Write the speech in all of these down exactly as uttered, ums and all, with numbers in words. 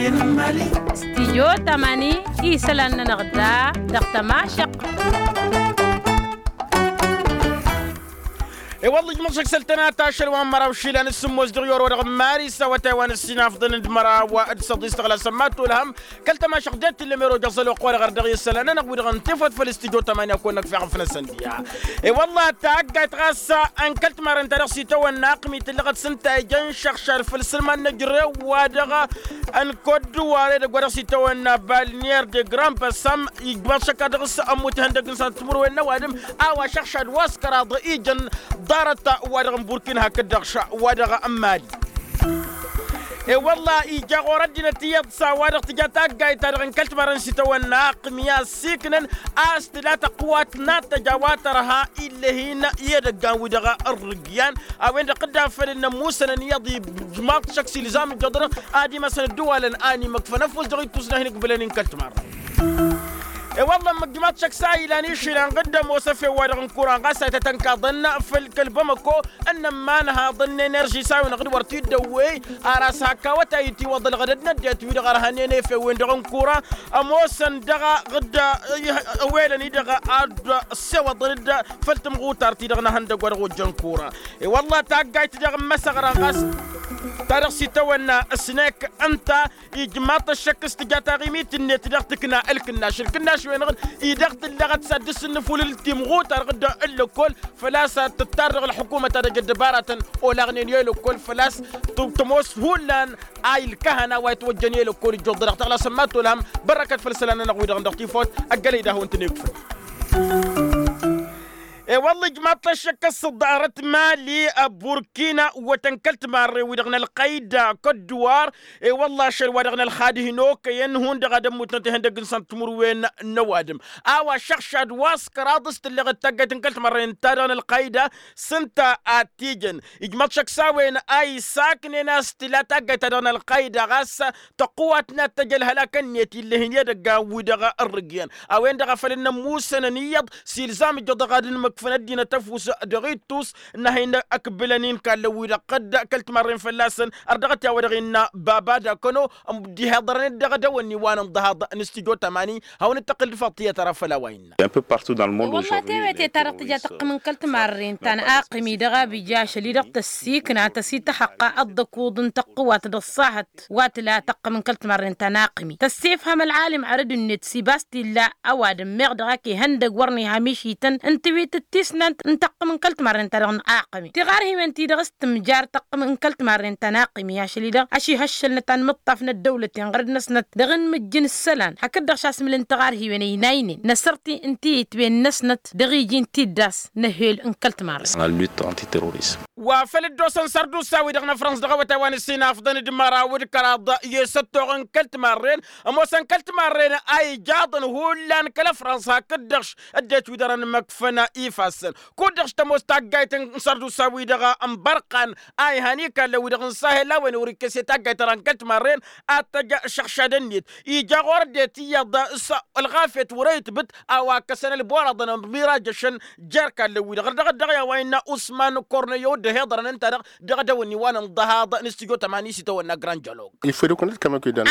Studyo tamani isălan-nănăɣ da dăɣ-tămašăq. I-wălla ijmăḍ šăkk săl-tănat ašăl wa n-măraw išilan s-sǝmmos dăɣ-i orăwădăɣ n-mari s-awătay wa n-ǝssinafḍăn d-măraw d-săḍis tăɣla sămmat olhăm kăl-tămašăq d-e-t tǝllăm erojăẓ ălwăqq-wa-dăɣ ărdăɣ i-isălan-nănăɣ wi-dăɣ n-tifăt făll-studyo tamani a kăwăn-năkf i-aɣăf-năsăn diha. I-wălla taggayt ɣas n-kăl-timarren-ta-dăɣ s-itawănna aqmi tǝllăɣăt s-ǝnta ija n-išăɣšad făll-isǝlman n-ejrew-wa-dăɣ n-kodduwar edăgg wa dăɣ-s itawănna balnier de grand basam ijmaḍ šăkka dăɣ-s ămmut ihăndăg n-săn timǝrwen n-ăwadǝm a-wa šăɣšad wa s-kăraḍ ijăn ḍarăt wa dăɣ-n burkin hakd-dăɣ ša wa dăɣ-n mali. I-wălla ija ɣur-ăddinăt iyyăḍ s-a-wa-dăɣ tǝja taggayt-ta-dăɣ n-kăl-timarren s-itawănna aqmi a ăssiiknăn a-s tǝla tăqwat n-ad-tăj a-wa tărha ill'-e-hin i-edăggan-wi-dăɣ ărrǝgyan a-wen-dăɣ dd-afăl n-ămmusănăn iyyăḍ ijmaḍ šăkk s-ilzam ǝjjăḍ-dăɣ ad-imasăn ădduwalăn a ănimăkfăn ăfuss dăɣ-ittus n-ad-hin-ǝkbǝlăn i-n kăl-timarren. I-wălla ămmăk ijmaḍ šăkk s-a ilan išilăn ɣǝdda ămoos efew-wa-dăɣ n-kuran ɣas a ităt ănkăḍăn făll-kăl-bamăko ănnămman haḍăn n-enerži s-a-wen-dăɣ d-wăr t-dd-ăwwey ar a-s hak awătay itiwăḍăl ɣădăd n-ăddinăt-wi-dăɣ ărhănen efewen-dăɣ n-kuran ămoosăn dăɣ-ɣǝdda ăwwelăn-i-dăɣ ad-ăssewăḍăn-dd făll-tǝmɣutar-ti-dăɣ n-ehăndăgg wa dăɣ-ojjăn kura. I-wălla taggayt dăɣ-n măsăɣra ɣas ta dăɣ-s itawănna ăsnek ǝnta ijmaḍ-t ăššăk s-tǝja taɣimit-net dăɣ-tǝkna ǝlkǝnnaš ǝlkǝnnaš-wen-dăɣ-dd-i dăɣ-tǝllăɣăt s-ad-dd-sǝnnǝful ǝltimɣutar ɣǝdda ǝllăkkol făl-a-s tǝttar dăɣ-ălḥukumăt ad-ăj ăddăbaratăn olaɣnen i-ălăkkol făl-a-s tămoos hullan a ilkăhăn a-wa itwăjjăn i-ălăkkol ǝjjuḍ-dăɣ tăɣlasăn ma t-olhăm. Bărrăkăt făll-isălan-nănăɣ-wi-dăɣ dăɣ-tifot ăggălăy d-ad-hawăn-tăn-ikfăn. I-wălla ijmaḍ-t ăššăk s-ǝḍarăt mali ăburkina wătăn kăl-timarre-wi-dăɣ n-ălqăyda kădduwar. I-wălla ašăl-wa-dăɣ n-ălxad hin-okăyăn hundăɣ ad-ămmutnăt ihăndăgg n-săn timǝrwen n-ăwadǝm a-wa šăɣšad wa s-kăraḍ s-tǝlleɣ d-taggayt n-kăl-timarre n-ta-dăɣ n-ălqăyda s-ǝnta ad-t-ijăn ijmaḍ šăkk s-a-wen a isaknen a-s tǝla taggayt-ta-dăɣ n-ălqăyda ɣas tăqquwat n-ad-tăj ălhălak-net ill'-e-hin i-edăggan-wi-dăɣ ărrǝgǝyăn a-wen-dăɣ a făl n-ămmusănăn iyyăḍ s-ilzam ǝjjăḍ dăɣ-ad-ǝnmǝkfăn ăddinăt ăfuss dăɣ-ittus n-ad-hin-ǝkbǝlăn-in ikallăn-wi-dăɣ dd-kăl-timarren fălla-săn. Ărdăɣăt i-a-wa-dăɣ innă baba d-akăno ămud-ihaḍărăn-dd dăɣ-edăwănni wa n-ǝnḍăhaḍ n-studyo tamani. Hawăn-dd-tăqqǝl d-faḍt tiyyăt ara făll-a-wa innă. Wălla tewăte ta-dăɣ tǝja tăqqǝm n-kăl-timarren ta n-aqmi dăɣ-abija ašăl-i-dăɣ tăssiikna tăsităhăqqa ăḍḍăkuḍ n-tăqqǝwat d-ăṣṣahăt wa tǝla tăqqǝm n-kăl-timarren ta n-aqmi tăssefhăm ălɣalim arăd-net s-ibas t-illa ăwadǝm meɣ dăɣ-ak ihăndăg wăr n-iha mišităn ǝnta wi tǝttisnant n-tăqqǝm n-kăl-timarren ta dăɣ-n aqmi tiɣarhiwen-ti-dăɣ s-tǝmjar tăqqǝm n-kăl-timarren ta n-aqmi ašăl-i-dăɣ ašihăššălnăt anmǝṭṭaf n-ăddăwlăten ɣărăd-năsnăt dăɣ-inmǝjjǝn isălan hakd-dăɣ šasmǝl n-tiɣarhiwen ăynaynen n-asărti n-tiyǝtwen-năsnăt dăɣ-iji n-tiddas n-ehel n-kăl-timarren. Wa făl dd-osăn sărdusa-wi-dăɣ n-afrăns dăɣ-awătay wa n-ǝssinafḍăn d-măraw d-kăraḍ i-săttoɣ n-kăl-timarren ămoosăn kăl-timarren a ijaḍăn hullan kăl-afrăns hakd-dăɣ-š ăddinăt wi dăr-ănmăkfăn ifassăn kud-dăɣ š-tămoos taggayt n-sărdusa-wi-dăɣ n-bărqan a ihan ikallăn-wi-dăɣ n-sahel a-wen wăr-ikkăs i-taggayt-ta-dăɣ n-kăl-timarren ad-tăj šăɣšad-net ija ɣur-ăddinăt iyyăḍ s-ălɣafyăt wăr-e itbǝt a-wa ǝkkăsăn ălboraḍăn ămirajăšăn jer-ikallăn-wi-dăɣ ărdăɣăt dăɣ-i a-wa innă usman korneyo dd-ăhiḍărăn ǝnta-dăɣ dăɣ-edăwănni wa n-ǝnḍăhaḍ n-studyo tamani s-itawănna grand jălog.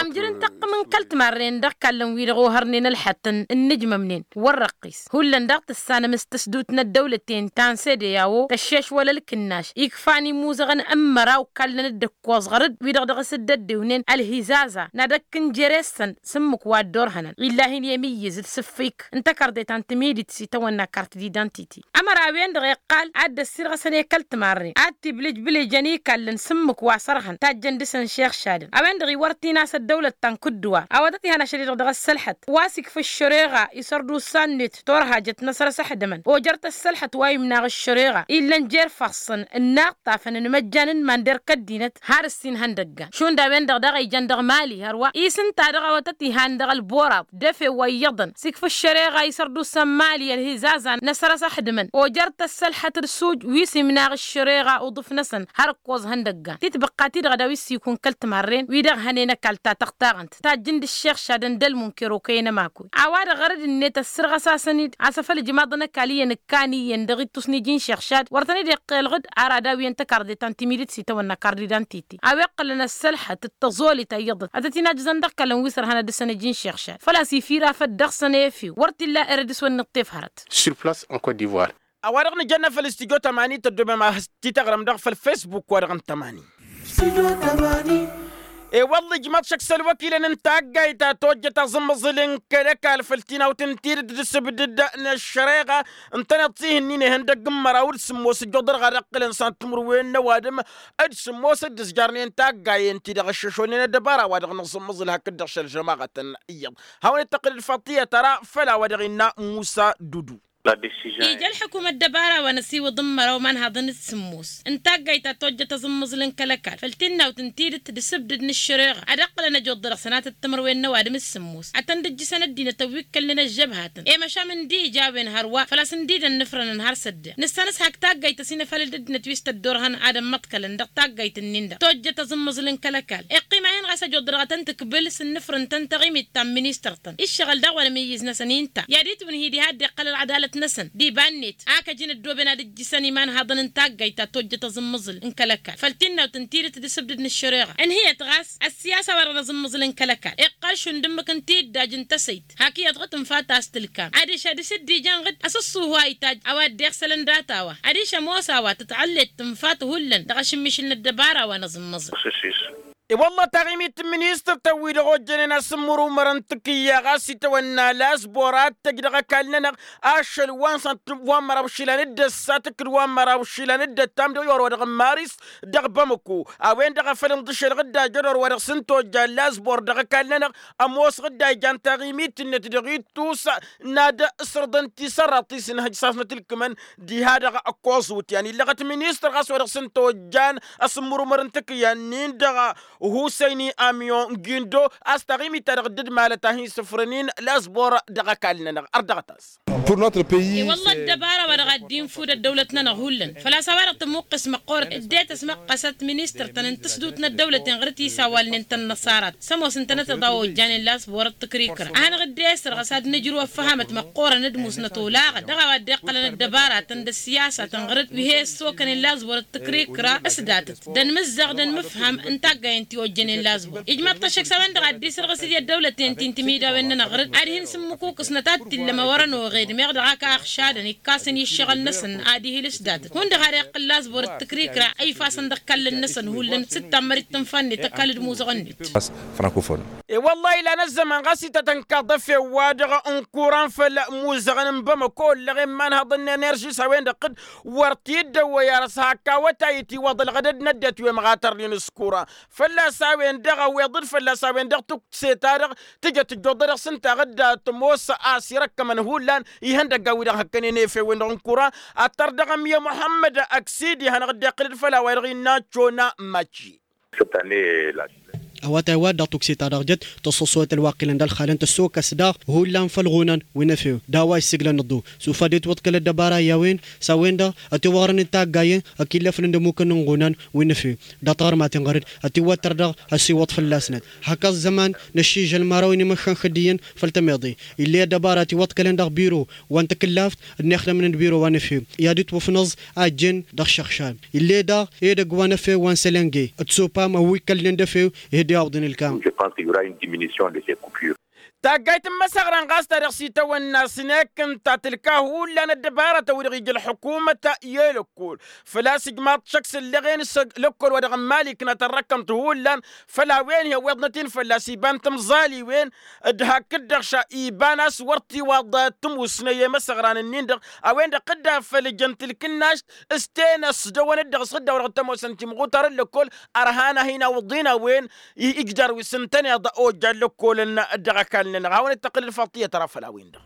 Amjăr n-tăqqǝm n-kăl-timarren dăɣ-ikallăn-wi-dăɣ ohărnen ălxăttăn ǝnnǝjmămnen wăr-răqqis hullan daɣ tǝssanăm s-tăsdut n-ăddăwlăten ta n-sede i-a-wo tăššeš wăla ălkǝnnaš ikfan imuzăɣăn n-măraw kallăn-dd ǝkkoẓ ɣăr-dd wi-dăɣ dăɣ-s dd-ăddewnen ălhizaza n-ad-ăkk n-jere-săn s-ǝmmǝk wa dd-orhănăn illa hin-i-emǝyyǝz d-sǝffik n-takărde ta n-timidit s-itawănna kart d-idantiti. Ămăra a-wen-dăɣ iqqal ad-dd-ăssirɣăsăn i-kăl-timarren ad-t-iblǝjbǝlǝjăn ikallăn s-ǝmmǝk wa s-ărhăn tajjăn dăɣ-săn šexšadăn a-wen-dăɣ iwăr t-in-as ăddăwlăt ta n-kǝdduwar a-wa tăt-ihan ašăl-i-dăɣ dăɣ-ăssălxăt wa s-ikfa ăššăreɣa isărdusa-net turhajăt n-asrăs ăḥdămăn ojăr tăssălxăt wa imnaɣ ăššăreɣa illăn jer-ifassăn ǝnnaɣ tafăn n-imăjjan n-iman d-erk ăddinăt har ǝssin ihăndăggan šund a-wen-dăɣ daɣ a ijăn dăɣ-mali hărwa i-s ǝnta-dăɣ a-wa tăt-ihan dăɣ-ălboraḍ d-efew wa iyyăḍăn s-ikfa ăššăreɣa isărdusa n-mali ălhizaza n-asrăs ăḥdămăn ojăr tăssălxăt d-suj wi s-imnaɣ ăššăreɣa. iɣa uḍǝf-năsăn har ǝkkoẓ ihăndăggan titbăqqa-ti-dăɣ a daw-issikun kăl-timarren wi-dăɣ hănen ăkall ta tăɣtaɣăn-t tajjǝn d-ǝššexšadăn d-ălmunker okăyăn ămakul. A-wa-dăɣ ɣărăd-net ăssirɣăs-asăn-dd a-s afăl ǝjmaḍăn ăkall iyyăn ǝkkan iyyăn dăɣ-ittus n-iji n-išixšad wăr tăn-dd-iqqelɣǝd ar ad-awǝyăn tăkarḍe ta n-timǝdit s-itawănna karḍe-dan-titi a-wa iqqălăn ăssălḥăt d-tăẓolit a iyyăḍăt ad-tăt-in-ajǝẓăn dăɣ-kălăn wi s-ărhăn ad-dăr-săn iji n-išixšad făl-a-s ifirafăt dăɣ-săn efew wăr t-illa ere dăr-s wăr n-iṭṭef hărăt. Sur place en cote d'ivoire. A-wa-dăɣ nǝjănna făll-istijo tămani tăddomem a-s tităɣrăm-dăɣ făll-fesbuk wa-dăɣ n-tămani. E-wălla ijmăḍ šăkk s-ălwăkilăn n-taggayt ta tojjăt aẓǝmmăẓǝl n-kăl-ăkall făll-tinawt n-tidǝt d-asǝbdǝd n-ăššăreɣa ǝntăneḍ-t ihǝnnin ihăndăgg n-măraw d-sǝmmos ǝjjuḍărɣa d-ăqqǝlăn s-ad-timǝrwen n-ăwadǝm d-sǝmmos d-ǝzjarnen taggayen-ti-dăɣ ăššăšonen ăddăbara wa dăɣ-nǝẓǝmmăẓǝl hakd-dăɣ šăl žămaɣătăn iyyăḍ. Hawăn-dd-tăqqǝlăd faṭiyăt ara făll-a-wa dăɣ-innă musa dudu. Ija ălḥǝkum ăddăbara wa n-ăsiwǝḍ n-măraw imanhaḍăn d-sǝmmos n-taggayt ta tojjăt aẓǝmmăẓǝl n-kăl-ăkall făll-tinnawt n-tidǝt d-asǝbdǝd n-ǝššăreɣa ad-ăqqǝlăn ăjoḍ dăr-săn ad-tăt-timǝrwen n-ăwadǝm d-sǝmmos ad-tăn-dd-ǝjjǝsăn ăddinăt ăwwikkălnen ăžžăbhatăn i-măšan ǝndi ija a-wen hărwa făl-a-s ǝndi d-ănnǝfrănăn har s-ădden nǝssan s-hak taggayt ăsinăfalăl d-ăddinăt wi s-tăddorhăn ad-ămmăḍkălăn dăɣ-taggayt-nin-dăɣ tojjăt aẓǝmmăẓǝl n-kăl-ăkall iqqim-ahin ɣas ăjoḍ dăɣ-tăn-tǝkbǝl s-ǝnnǝfrǝn-tăn taɣimit ta n-ministăr-tăn iššăɣǝl daɣ wăla amǝyyǝz-năsăn inta i-ad-itwǝnhǝy diha a dd-iqqăl ălɣădalat-năsăn d-iba-net ak ăjǝn ăddooben ad-ǝjjǝsăn imanhaḍăn n-taggayt ta tojjăt aẓǝmmăẓǝl n-kăl-ăkall făll-tinnawt n-tidǝt d-asǝbdǝd n-ăššăreɣa ǝnhǝyăt ɣas ăssiyasa wa dăɣ-nǝẓǝmmăẓǝl n-kăl-ăkall iqqăl šund ǝmmǝk n-tiddaj n-tăsăyt hak iyyăḍ ɣǝd tǝnfa ta s-tǝlka adiš ad-dăr-s dd-ijan ɣǝd asǝṣṣuhu a itajj a-wa dd-iɣsălăn data-wa adiš ămoos a-wa tǝtɣăllet tǝnfat hullan dăɣ-ašǝmmišǝl n-ăddăbara wa n-aẓǝmmăẓǝl. E-wălla taɣimit n-ministăr-tăn-wi-dăɣ ojjănen asǝmmǝrumăr n-takǝyya ɣas itawănna lasbor ad-tăjj dăɣ-ăkall-nănăɣ ašăl wa n-sănat wa n-măraw išilan d-ăssat d-wa n-măraw išilan d-ăttam dăɣ-i orăwădăɣ n-maris dăɣ-bamăko a-wen-dăɣ a făl ǝnḍǝšel ɣǝdda jăr orăwădăɣ s-ǝntojja lasbor dăɣ-ăkall-nănăɣ ămoos ɣǝdda ijan taɣimit-net dăɣ-ittus n-ad-sărḍăn tisărraḍt ti s-inhăj sasnăt ǝlkǝmăn diha-dăɣ ăkkoẓ wǝtyan illăɣăt ministăr ɣas wa dăɣ-s ǝnta ojjan asǝmmǝrumăr n-takǝyya-nin-dăɣ husăyni amion gindo a-s taɣimit-ta-dăɣ dd-malăt a hin-sǝfrǝn-in lasbor dăɣ-ăkall-nănăɣ ărdăɣăt-as. I-wălla ăddăbara wa dăɣ-ad-dd-infud ăddăwlăt-nănăɣ hullan făl-a-s a-wa-dăɣ tămuqqǝs măqqoorăt dd-e-tăsmăqqăsăt ministăr-tăn n-tǝsdut n-ăddăwlăten ɣur-t isawalnen tăn-năṣarat s-ămoos ǝntănăteḍ a ojjanen lasbor d-tǝkrikra a hanăɣ-dd-e-sărɣăs ad-nǝjrǝw ăffăhamăt măqqoorăn d-musnăt olaɣăn dăɣ-a-wa dd-iqqălăn ăddăbaratăn d-ăssiyasatăn ɣur-dd wi he-ăssokănen lasbor d-tǝkrikra s-datăt d-ănmǝzzaɣ d-ănmǝfham n-taggayen ti ojjănen lasbor ijmaḍ-t ăššăk s-a-wen-dăɣ ad-dd-isărɣǝs i-ăddăwlăten ti n-timidawen-nănăɣ ɣur-dd ad-hin-sǝmmǝkukǝsnăt ad-t-illăm a wărăn oɣed meɣ dăɣ-ak a ăɣšadăn ikkasen i-ǝššăɣǝl-năsăn ad-ihǝl s-datăt hundăɣ har iqqǝl lasbor d-tǝkrikra a ifasăn dăɣ-ikallăn-năsăn hullan s-dd-tammărit tǝnfa-net ăkall d-imuzăɣăn-net. E-wăllah ilan ăzzăman ɣas ităt ănkaḍ efew-wa-dăɣ n-kuran făll-imuzăɣăn n-bamăko ǝllăɣen imanhăḍăn n-enerži s-a-wen-dăɣ dd-wăr t-dd-ăwwăy ar s-hak awătay itiwăḍ ălɣădăd n-ăddinăt wi ămɣatărnen s-kuran fălla-s a-wen-dăɣ a-wen fălla-s a-wen-dăɣ tukse-ta-dăɣ tǝjăt ǝjjuḍăd dăɣ-s ǝnta a dd-tămoos a-s irăkkămăn hullan ihăndăggan-wi-dăɣ hăkkănen efew-wen-dăɣ n-kuran. Ăttăr dăɣ-ămyămăhămmăd ăksidi hanăɣ-dd-iqqǝlăd făll-a-wa-dăɣ innă cona maci. A-wa taywa-dd-dăɣ tukse-ta-dăɣ jăt tăṣṣăṣwăyăt ălwaqilăn d-ălxalăn tăssokăs daɣ hullan făll-iɣunan wi n-efew d-a-wa issǝglăn ăḍḍu s-ufad itwǝḍkăl ăddăbara i-a-wen s-a-wen-dăɣ ătiwăɣrăn d-taggayen ăkillăfnen d-ămmukăn n-iɣunan wi n-efew dăɣ-taɣărmaten ɣur-dd ătiwăttăr dăɣ-ăsiwăḍ fălla-snăt. Hak ăẓẓăman năššižăl măraw n-imăššan xǝddǝyăn făll-tămeḍe ill'-e ăddăbara ătiwăḍkălăn dăɣ-biro wa n-takǝllaft ănnixdămnen d-biro wa n-efew i-ad-itwǝfnăẓ a ǝjjen dăɣ-išăɣšan ill'-e daɣ edăgg wa n-efew wa n-sălănge d-sopam ăwwikkălnen d-efew. Ihǝd i-awǝḍăn ǝlkam. Taggayt n-imăsăɣran ɣas ta dăɣ-s itawănna s-nekk ǝnta tǝlka hullan ăddăbaratăn-wi-dăɣ ija ălḥukumăt i-lăkkol făl-a-s ijmaḍ-t šăkk s-ǝllăɣen s-lăkkol wa dăɣ-n mali ǝknatăn răkkămt hullan făll-a-wen hi-ăwweḍnăt-in fălla-s iba n-timẓaliwen d-hakd-dăɣ ša iba n-a-s wăr t-iwaḍ tǝmusnăy i-imăsăɣran-ǝnnin-dăɣ a-wen-dăɣ dd-afăl ǝjăn tǝlkǝnnašt s-tenăs dăɣ-wăn-dd-dăɣ s-dd-a-wa dăɣ-tămoosăn timɣutar n-lăkkol ărhan a hin-awǝḍin a-wen ijjar wi s-ǝntăneḍ ojjan lăkkolăn dăɣ-ăkall-nănăɣ hawăn-dd-tăqqǝlăd faḍt iyyăt ara făll-a-wen-dăɣ.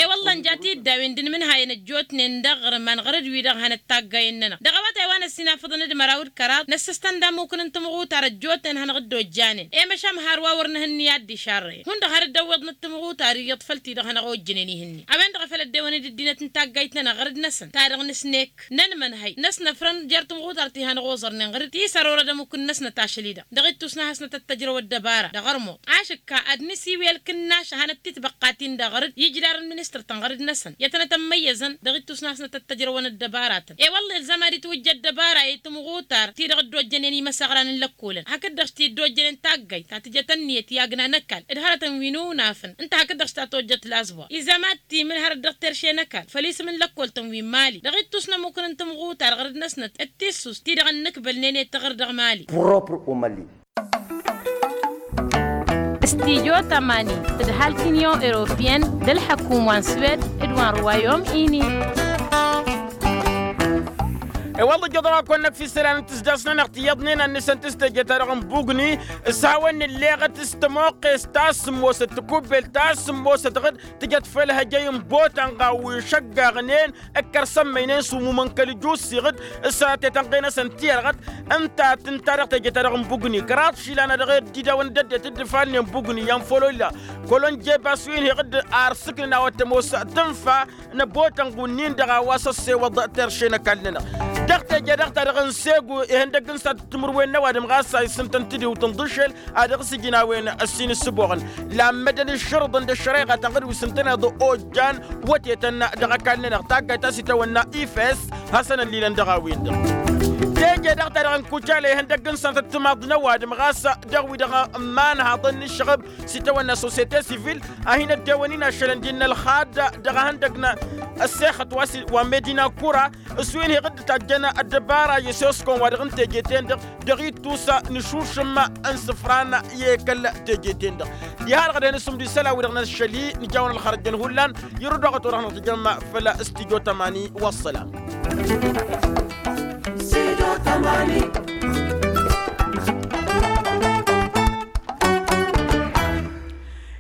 E-wălla ǝnja tiddawen d-inmǝnhayăn ăjjootnen dăɣ-iɣrǝm anɣăr-dd wi-dăɣ hanăt-taggayen-nănăɣ dăɣ-awătay wa. ăssinafăḍăn d-măraw d-kăraḍ n-ăssăstăn d-amukǝn n-timɣutar ăjjootnen hanăɣ-dd-ojjanen i-măšan har wa wăr nǝhǝnni ad-dd-išarrăyăn hundăɣ har dd-ăwwiḍnăt timɣutar iyyăḍ făll-ti-dăɣ hanăɣ-ojjănen ihǝnni a-wen-dăɣ a făl ăddewăn d-ăddinăt n-taggayt-nănăɣ ɣăr-dd-năsăn ta-dăɣ nǝsnek nănmănhăy năsnăfrăn jer-timɣutar ti hanăɣ-oẓărnen ɣăr-dd ti s-ărorăd ămukǝn-năsnăt ašăl-i-dăɣ dăɣ-ittus n-ad-hasnăt ăttăjrăw ăddăbara dăɣ-ărmuḍ ašǝkka ad-nǝsiwǝy ălkǝnnaš a hanăt-titbăqqatin-dăɣ ɣăr-dd ijlarăn ministăr-tăn ɣăr-dd-năsăn i-tănăt ămmăyyăzăn dăɣ-ittus n-ad-hasnăt ăttăjrăwăn ăddăbaratăn i-wălla ilzam ad-itwǝjja ăddăbara i-timɣutar ti-dăɣ dd-ojjănen imăsăɣran n-lăkkolăn hakd-dăɣ s-ti dd-ojjănen taggayt ta tǝjăt ănniyăt i-agna n-ăkall d-hărătăn wi n-unafăn ǝnta hakd-dăɣ s-ta tojjăt lazbwa izam ad-timǝl hărăt dăɣ-terše n-ăkall făll-isǝm n-lăkkoltăn wi n-mali dăɣ-ittus n-ămmukǝn n-timɣutar ɣăr-dd-năsnăt d-tissus ti-dăɣ ănnǝkbălnen i-taɣǝr dăɣ-mali. Propr umălli. Stijo tamani d-halt union europeyenne d-ălḥăkum wa n-swed d-wa n-ruwayom ini. I-wălla ijăḍ-aɣ-kăwăn-năkf isălan n-tǝsdasnăn ăɣ tiyyăḍnen ad-nǝsăn tǝstejăt-ta-dăɣ n-bugni s-hawăn-nǝlleɣăt s-tămoqqes ta s-ămoosăt tǝkubbelt ta s-ămoosăt ɣǝd tǝjăt făll-hăjăy n-botanɣa wi šăggaɣnen ǝkkăr sămmăynen s-umumăn kăl-ijus iɣǝd s-tetănɣe-năsăn tiyărɣăt. Ǝnta tǝnta dăɣ-teje-ta-dăɣ n-bugni kăraḍ išilan a dăɣ-e-dd-idawăn d-ăddinăt dd-ifalnen bugni i-anfololla kăl-onjeba s-wi n-hi-iɣǝd ar sǝknǝn a-wa t-ămoos tǝnfa n-abotănɣ wǝnnin-dăɣ a-wa s-ăssewăḍ terše n-ăkall-nănăɣ. Dăɣ-teje-dăɣ ta dăɣ-n segu ihăndăgg n-sat timǝrwen n-ăwadǝm ɣas a isǝntăn tǝdiwt n-iḍǝššel a dăɣ-s ǝjǝn a-wen ăssin ǝssǝboɣăn lammădăn iššărǝḍăn d-ăššăreɣa ta n-ɣǝd wi s-ǝntăneḍ ojjan wătetăn dăɣ-ăkall-nănăɣ taggayt ta s-itawănna ifes hasăn-ăllilăn dăɣ-a-wen-dăɣ. Teje-dăɣ ta dăɣ-n kucale ihăndăgg n-sănatăt timaḍ n-ăwadǝm ɣas dăɣ-wi-dăɣ n-imanhaḍăn n-ǝššăɣăb s-itawănna sosyete sivil a hin-ăddewăn-in ašălăn d-innă ălxad dăɣ-ehăndăg n-ăssexăt wa s-wa n-medina kura s-wi n-hi-iɣǝdd tajjăn ăddăbara i-soskon wa dăɣ-n teje-ten-dăɣ dăɣ-ittus n-ašušǝm n-isǝfran i-kăl-teje-ten-dăɣ. Diha-dăɣ ad-hin-ǝssǝmdu isălan-wi-dăɣ n-ašăl-i nǝjawăn ălxărăjjăn hullan irǝw dăɣ-ătwăr ad-hanăɣ-tǝjrăm făll-stijo tamani. Wa ăssălam. Stijo tamani.